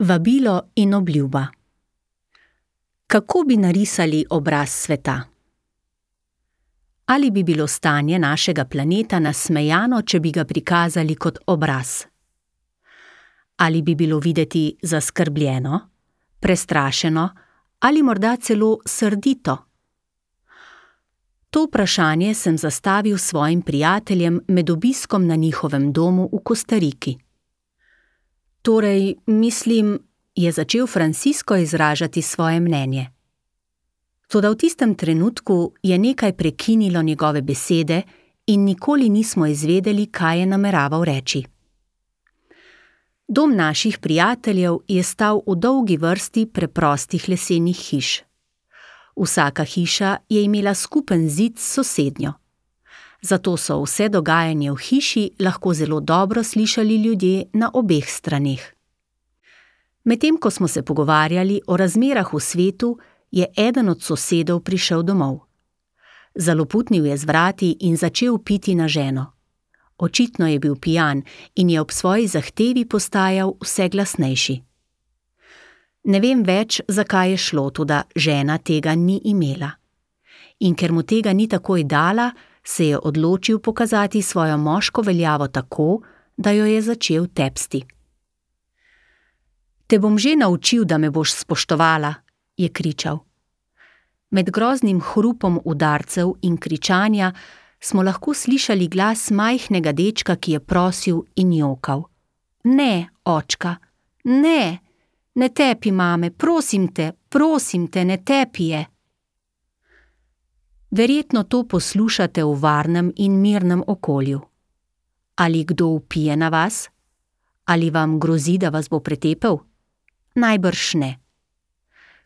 Vabilo in obljuba. Kako bi narisali obraz sveta? Ali bi bilo stanje našega planeta nasmejano, če bi ga prikazali kot obraz? Ali bi bilo videti zaskrbljeno, prestrašeno ali morda celo srdito? To vprašanje sem zastavil svojim prijateljem med obiskom na njihovem domu v Kostariki. Torej, mislim, je začel Francisco izražati svoje mnenje. Toda v tistem trenutku je nekaj prekinilo njegove besede in nikoli nismo izvedeli, kaj je nameraval reči. Dom naših prijateljev je stal v dolgi vrsti preprostih lesenih hiš. Vsaka hiša je imela skupen zid s sosednjo. Zato so vse dogajanje v hiši lahko zelo dobro slišali ljudje na obeh straneh. Medtem ko smo se pogovarjali o razmerah v svetu, je eden od sosedov prišel domov. Zaloputnil je z vrati in začel piti na ženo. Očitno je bil pijan in je ob svoji zahtevi postajal vse glasnejši. Ne vem več, zakaj je šlo, toda žena tega ni imela. In ker mu tega ni takoj dala, se je odločil pokazati svojo moško veljavo tako, da jo je začel tepsti. Te bom že naučil, da me boš spoštovala, je kričal. Med groznim hrupom udarcev in kričanja smo lahko slišali glas majhnega dečka, ki je prosil in jokal. Ne, očka, ne, ne tepi mame, prosim te, ne tepi je. Verjetno to poslušate v varnem in mirnem okolju. Ali kdo vpije na vas? Ali vam grozi, da vas bo pretepel? Najbrž ne.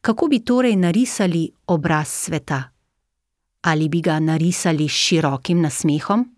Kako bi torej narisali obraz sveta? Ali bi ga narisali s širokim nasmehom?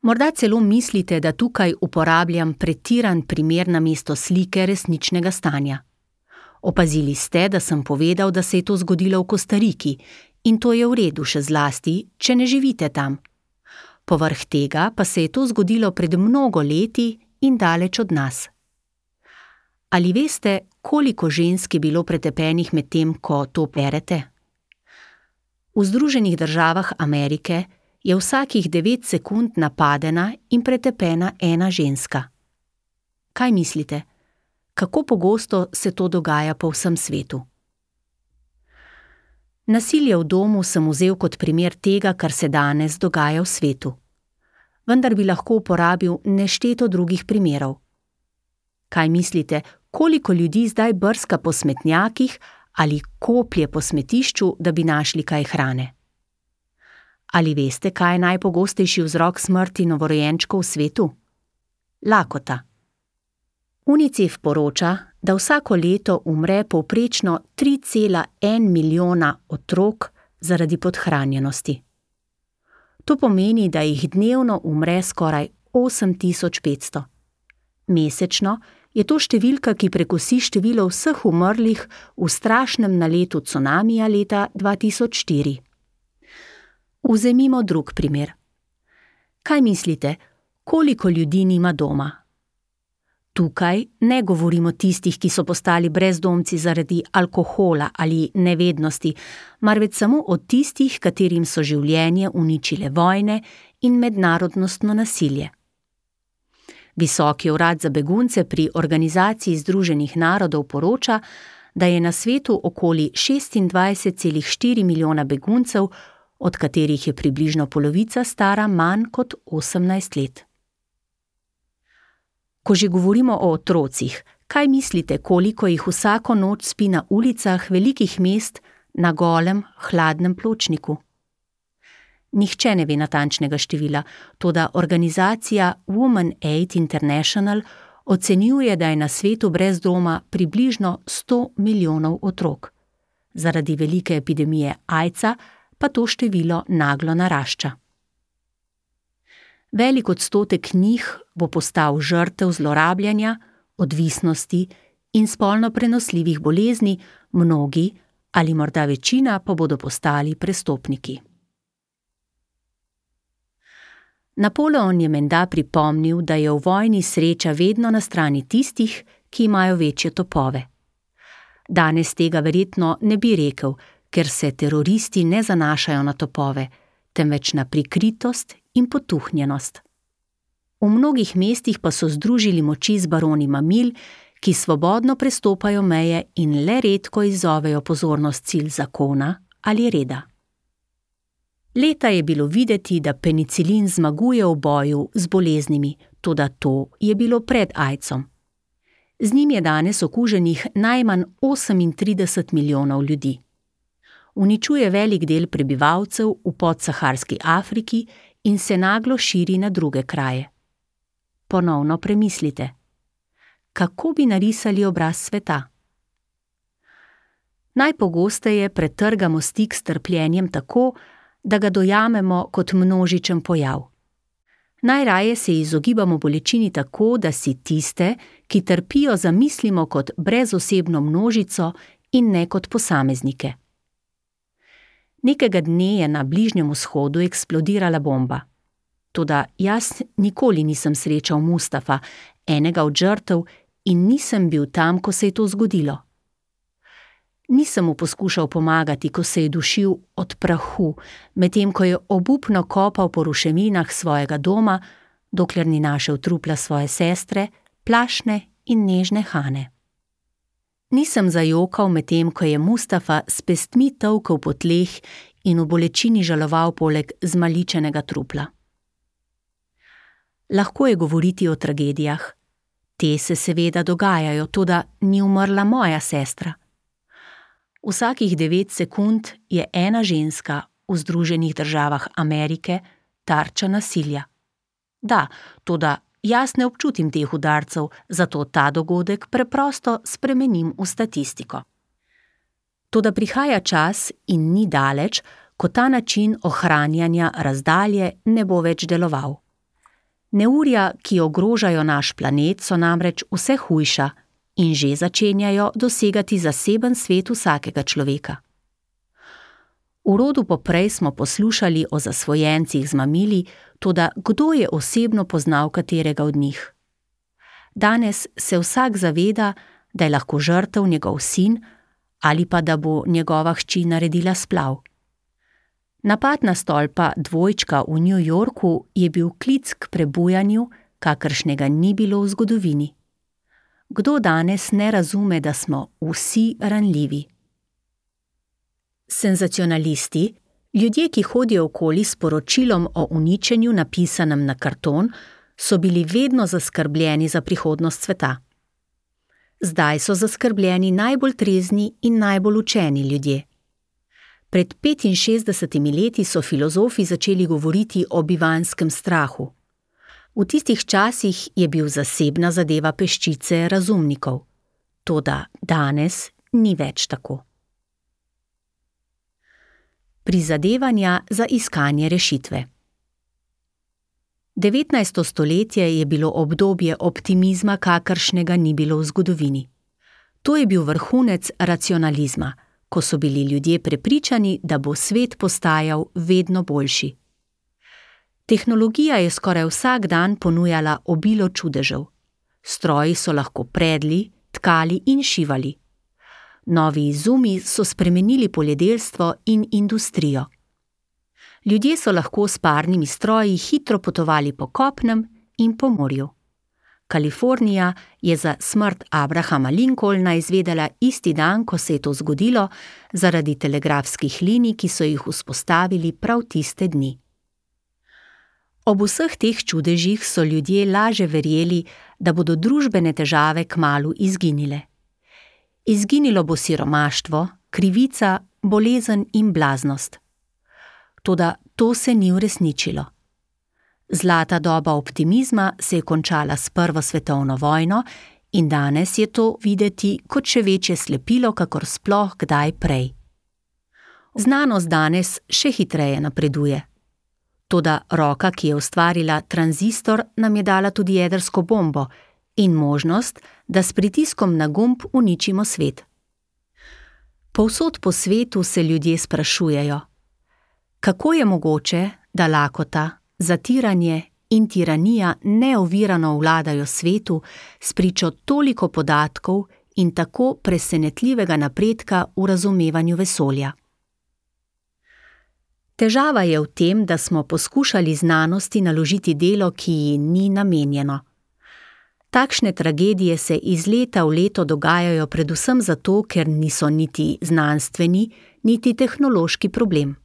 Morda celo mislite, da tukaj uporabljam pretiran primer namesto slike resničnega stanja. Opazili ste, da sem povedal, da se je to zgodilo v Kostariki, in to je v redu, še zlasti, če ne živite tam. Povrh tega pa se je to zgodilo pred mnogo leti in daleč od nas. Ali veste, koliko žensk je bilo pretepenih med tem, ko to berete? V Združenih državah Amerike je vsakih 9 sekund napadena in pretepena ena ženska. Kaj mislite? Kako pogosto se to dogaja po vsem svetu? Nasilje v domu sem vzel kot primer tega, kar se danes dogaja v svetu. Vendar bi lahko uporabil nešteto drugih primerov. Kaj mislite, koliko ljudi zdaj brska po smetnjakih ali koplje po smetišču, da bi našli kaj hrane? Ali veste, kaj je najpogostejši vzrok smrti novorojenčkov v svetu? Lakota. UNICEF poroča, da vsako leto umre povprečno 3,1 milijona otrok zaradi podhranjenosti. To pomeni, da jih dnevno umre skoraj 8500. Mesečno je to številka, ki prekosi število vseh umrlih v strašnem naletu cunamija leta 2004. Vzemimo drug primer. Kaj mislite, koliko ljudi nima doma? Tukaj ne govorimo tistih, ki so postali brezdomci zaradi alkohola ali nevednosti, marveč samo o tistih, katerim so življenje uničile vojne in mednarodnostno nasilje. Visoki urad za begunce pri Organizaciji Združenih narodov poroča, da je na svetu okoli 26,4 milijona beguncev, od katerih je približno polovica stara manj kot 18 let. Ko že govorimo o otrocih, kaj mislite, koliko jih vsako noč spi na ulicah velikih mest na golem, hladnem pločniku? Nihče ne ve natančnega števila, toda organizacija Women Aid International ocenjuje, da je na svetu brez doma približno 100 milijonov otrok. Zaradi velike epidemije AIDS-a pa to število naglo narašča. Velik odstotek njih bo postal žrtev zlorabljanja, odvisnosti in spolno prenosljivih bolezni, mnogi ali morda večina pa bodo postali prestopniki. Napoleon je menda pripomnil, da je v vojni sreča vedno na strani tistih, ki imajo večje topove. Danes tega verjetno ne bi rekel, ker se teroristi ne zanašajo na topove, temveč na prikritost in potuhnjenost. V mnogih mestih pa so združili moči z baroni mamil, ki svobodno prestopajo meje in le redko izzovejo pozornost cilj zakona ali reda. Leta je bilo videti, da penicilin zmaguje v boju z boleznimi, toda to je bilo pred aidsom. Z njim je danes okuženih najmanj 38 milijonov ljudi. Uničuje velik del prebivalcev v podsaharski Afriki in se naglo širi na druge kraje. Ponovno premislite. Kako bi narisali obraz sveta? Najpogosteje pretrgamo stik s trpljenjem tako, da ga dojamemo kot množičen pojav. Najraje se izogibamo bolečini tako, da si tiste, ki trpijo, zamislimo kot brezosebno množico in ne kot posameznike. Nekega dne je na Bližnjem vzhodu eksplodirala bomba. Toda jaz nikoli nisem srečal Mustafa, enega od žrtev, in nisem bil tam, ko se je to zgodilo. Nisem mu poskušal pomagati, ko se je dušil od prahu, medtem ko je obupno kopal po ruševinah svojega doma, dokler ni našel trupla svoje sestre, plašne in nežne Hane. Nisem zajokal medtem, ko je Mustafa s pestmi tolkel po tleh in v bolečini žaloval poleg zmaličenega trupla. Lahko je govoriti o tragedijah. Te se seveda dogajajo, toda ni umrla moja sestra. Vsakih 9 sekund je ena ženska v Združenih državah Amerike tarča nasilja. Da, toda jaz ne občutim teh udarcev, zato ta dogodek preprosto spremenim v statistiko. Toda prihaja čas in ni daleč, ko ta način ohranjanja razdalje ne bo več deloval. Neurja, ki ogrožajo naš planet, so namreč vse hujša in že začenjajo dosegati zaseben svet vsakega človeka. V rodu poprej smo poslušali o zasvojencih z mamili, toda kdo je osebno poznal katerega od njih? Danes se vsak zaveda, da je lahko žrtev njegov sin ali pa da bo njegova hči naredila splav. Napad na stolpa dvojčka v New Yorku je bil klic k prebujanju, kakršnega ni bilo v zgodovini. Kdo danes ne razume, da smo vsi ranljivi? Senzacionalisti, ljudje, ki hodijo okoli s poročilom o uničenju napisanem na karton, so bili vedno zaskrbljeni za prihodnost sveta. Zdaj so zaskrbljeni najbolj trezni in najbolj učeni ljudje. Pred 65 leti so filozofi začeli govoriti o bivanskem strahu. V tistih časih je bil zasebna zadeva peščice razumnikov. Toda danes ni več tako. Prizadevanja za iskanje rešitve. 19. stoletje je bilo obdobje optimizma, kakršnega ni bilo v zgodovini. To je bil vrhunec racionalizma, ko so bili ljudje prepričani, da bo svet postajal vedno boljši. Tehnologija je skoraj vsak dan ponujala obilo čudežev. Stroji so lahko predli, tkali in šivali. Novi izumi so spremenili poljedelstvo in industrijo. Ljudje so lahko s parnimi stroji hitro potovali po kopnem in po morju. Kalifornija je za smrt Abrahama Lincolna izvedela isti dan, ko se je to zgodilo, zaradi telegrafskih linij, ki so jih vzpostavili prav tiste dni. Ob vseh teh čudežih so ljudje laže verjeli, da bodo družbene težave kmalu izginile. Izginilo bo siromaštvo, krivica, bolezen in blaznost. Toda to se ni uresničilo. Zlata doba optimizma se je končala s Prvo svetovno vojno in danes je to videti kot še večje slepilo, kakor sploh kdaj prej. Znanost danes še hitreje napreduje. Toda roka, ki je ustvarila tranzistor, nam je dala tudi jedrsko bombo in možnost, da s pritiskom na gumb uničimo svet. Povsod po svetu se ljudje sprašujejo, kako je mogoče, da lakota, zatiranje in tiranija neovirano vladajo svetu spričo toliko podatkov in tako presenetljivega napredka v razumevanju vesolja. Težava je v tem, da smo poskušali znanosti naložiti delo, ki ji ni namenjeno. Takšne tragedije se iz leta v leto dogajajo predvsem zato, ker niso niti znanstveni, niti tehnološki problem.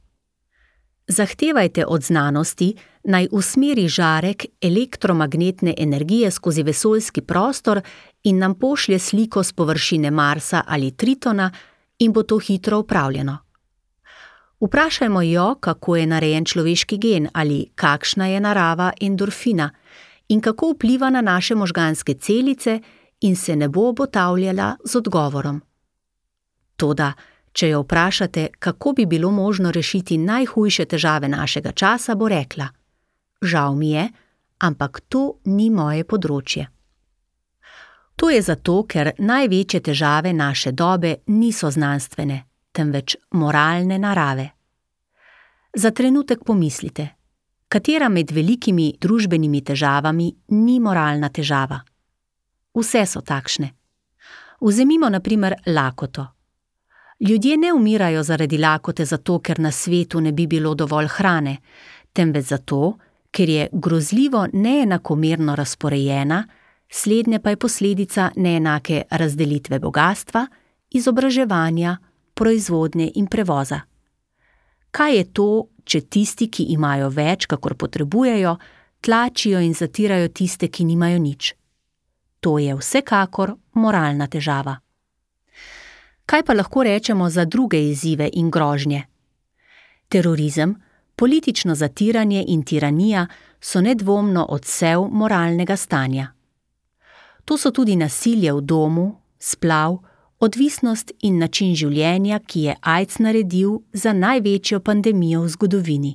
Zahtevajte od znanosti, naj usmeri žarek elektromagnetne energije skozi vesoljski prostor in nam pošlje sliko s površine Marsa ali Tritona in bo to hitro opravljeno. Vprašajmo jo, kako je narejen človeški gen ali kakšna je narava endorfina in kako vpliva na naše možganske celice in se ne bo obotavljala z odgovorom. Toda, če jo vprašate, kako bi bilo možno rešiti najhujše težave našega časa, bo rekla: žal mi je, ampak to ni moje področje. To je zato, ker največje težave naše dobe niso znanstvene, temveč moralne narave. Za trenutek pomislite, katera med velikimi družbenimi težavami ni moralna težava? Vse so takšne. Vzemimo na primer lakoto. Ljudje ne umirajo zaradi lakote zato, ker na svetu ne bi bilo dovolj hrane, temveč zato, ker je grozljivo neenakomerno razporejena, slednje pa je posledica neenake razdelitve bogastva, izobraževanja, proizvodnje in prevoza. Kaj je to, če tisti, ki imajo več, kakor potrebujejo, tlačijo in zatirajo tiste, ki nimajo nič? To je vsekakor moralna težava. Kaj pa lahko rečemo za druge izzive in grožnje? Terorizem, politično zatiranje in tiranija so nedvomno odsev moralnega stanja. To so tudi nasilje v domu, splav, odvisnost in način življenja, ki je AIDS naredil za največjo pandemijo v zgodovini.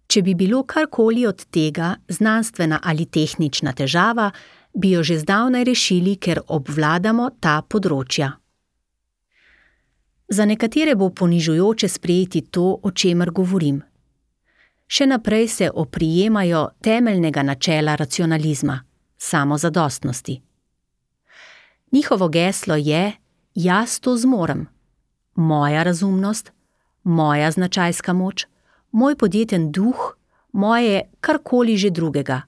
Če bi bilo karkoli od tega znanstvena ali tehnična težava, bi jo že zdavnaj rešili, ker obvladamo ta področja. Za nekatere bo ponižujoče sprejeti to, o čemer govorim. Še naprej se oprijemajo temeljnega načela racionalizma, samozadostnosti. Njihovo geslo je: jaz to zmorem. Moja razumnost, moja značajska moč, moj podjeten duh, moje karkoli že drugega.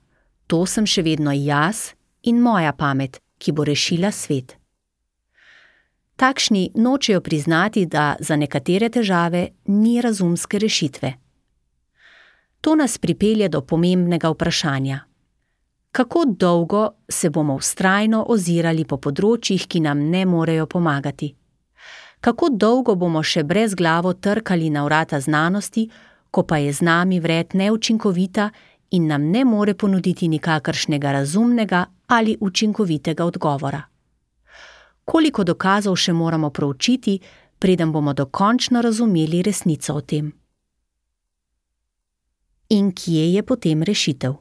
To sem še vedno jaz in moja pamet, ki bo rešila svet. Takšni nočejo priznati, da za nekatere težave ni razumske rešitve. To nas pripelje do pomembnega vprašanja. Kako dolgo se bomo vztrajno ozirali po področjih, ki nam ne morejo pomagati? Kako dolgo bomo še brezglavo trkali na vrata znanosti, ko pa je z nami vred neučinkovita in nam ne more ponuditi nikakršnega razumnega ali učinkovitega odgovora? Koliko dokazov še moramo proučiti, preden bomo dokončno razumeli resnico o tem? In kje je potem rešitev?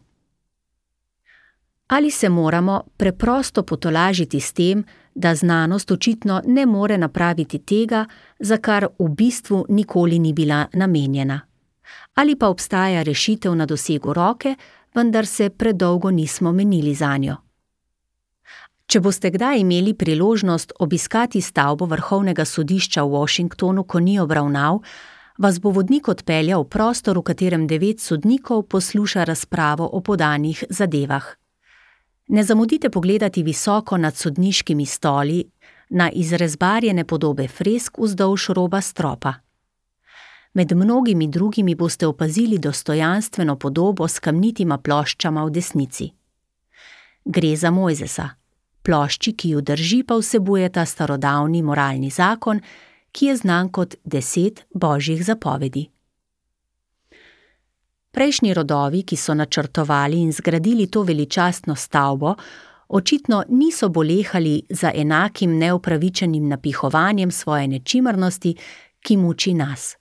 Ali se moramo preprosto potolažiti s tem, da znanost očitno ne more napraviti tega, za kar v bistvu nikoli ni bila namenjena? Ali pa obstaja rešitev na dosegu roke, vendar se predolgo nismo menili zanjo? Če boste kdaj imeli priložnost obiskati stavbo Vrhovnega sodišča v Washingtonu, ko ni obravnav, vas bo vodnik odpeljal v prostor, v katerem 9 sodnikov posluša razpravo o podanih zadevah. Ne zamudite pogledati visoko nad sodniškimi stoli na izrezbarjene podobe fresk vzdolž roba stropa. Med mnogimi drugimi boste opazili dostojanstveno podobo s kamnitima ploščama v desnici. Gre za Mojzesa. Plošči, ki ju drži, pa vsebujeta starodavni moralni zakon, ki je znan kot 10 božjih zapovedi. Prejšnji rodovi, ki so načrtovali in zgradili to veličastno stavbo, očitno niso bolehali za enakim neupravičenim napihovanjem svoje nečimrnosti, ki muči nas.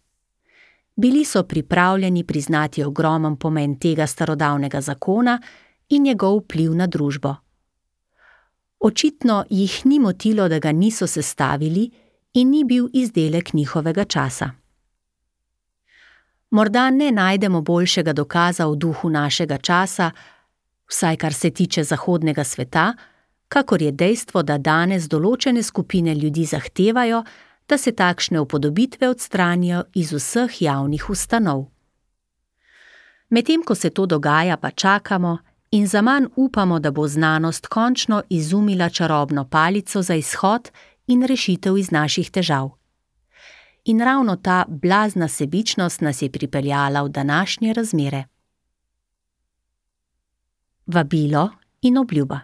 Bili so pripravljeni priznati ogromen pomen tega starodavnega zakona in njegov vpliv na družbo. Očitno jih ni motilo, da ga niso sestavili in ni bil izdelek njihovega časa. Morda ne najdemo boljšega dokaza v duhu našega časa, vsaj kar se tiče zahodnega sveta, kakor je dejstvo, da danes določene skupine ljudi zahtevajo, da se takšne upodobitve odstranijo iz vseh javnih ustanov. Medtem ko se to dogaja, pa čakamo in zaman upamo, da bo znanost končno izumila čarobno palico za izhod in rešitev iz naših težav. In ravno ta blazna sebičnost nas je pripeljala v današnje razmere. Vabilo in obljuba.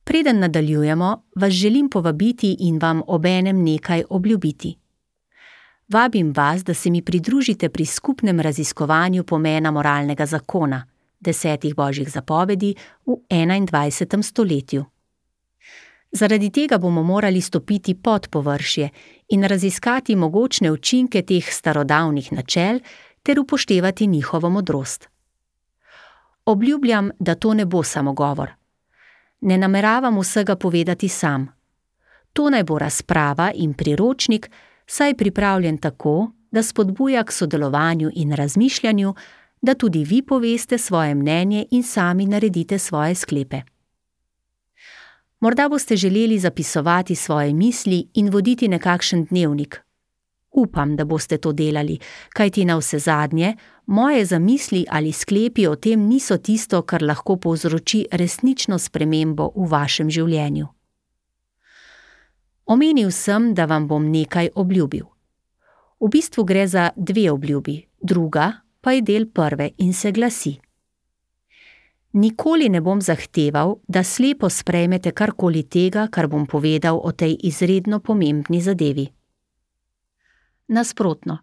Preden nadaljujemo, vas želim povabiti in vam obenem nekaj obljubiti. Vabim vas, da se mi pridružite pri skupnem raziskovanju pomena moralnega zakona, 10 božjih zapovedi v 21. stoletju. Zaradi tega bomo morali stopiti pod površje in raziskati mogočne učinke teh starodavnih načel ter upoštevati njihovo modrost. Obljubljam, da to ne bo samo govor. Ne nameravam vsega povedati sam. To naj bo razprava in priročnik, saj je pripravljen tako, da spodbuja k sodelovanju in razmišljanju, da tudi vi poveste svoje mnenje in sami naredite svoje sklepe. Morda boste želeli zapisovati svoje misli in voditi nekakšen dnevnik. Upam, da boste to delali, kajti navsezadnje, moje zamisli ali sklepi o tem niso tisto, kar lahko povzroči resnično spremembo v vašem življenju. Omenil sem, da vam bom nekaj obljubil. V bistvu gre za 2 obljubi, druga pa je del prve in se glasi: nikoli ne bom zahteval, da slepo sprejmete karkoli tega, kar bom povedal o tej izredno pomembni zadevi. Nasprotno,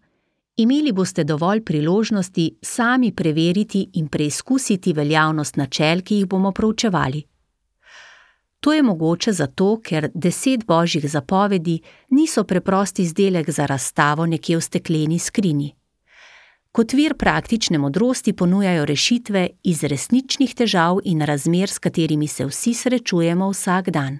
imeli boste dovolj priložnosti sami preveriti in preizkusiti veljavnost načel, ki jih bomo proučevali. To je mogoče zato, ker 10 božjih zapovedi niso preprost izdelek za razstavo nekje v stekleni skrinji. Kot vir praktične modrosti ponujajo rešitve iz resničnih težav in razmer, s katerimi se vsi srečujemo vsak dan.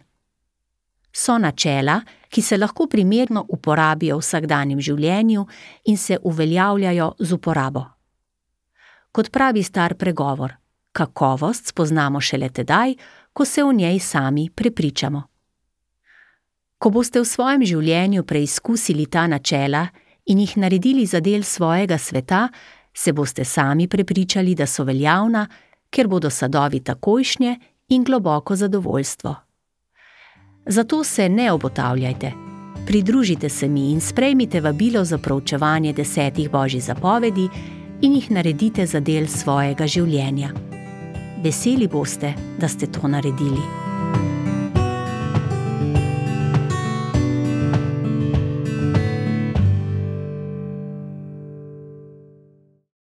So načela, ki se lahko primerno uporabijo v vsakdanjem življenju in se uveljavljajo z uporabo. Kot pravi star pregovor, kakovost spoznamo šele tedaj, ko se o njej sami prepričamo. Ko boste v svojem življenju preizkusili ta načela in jih naredili za del svojega sveta, se boste sami prepričali, da so veljavna, ker bodo sadovi takojšnje in globoko zadovoljstvo. Zato se ne obotavljajte. Pridružite se mi in sprejmite vabilo za proučevanje 10 božjih zapovedi in jih naredite za del svojega življenja. Veseli boste, da ste to naredili.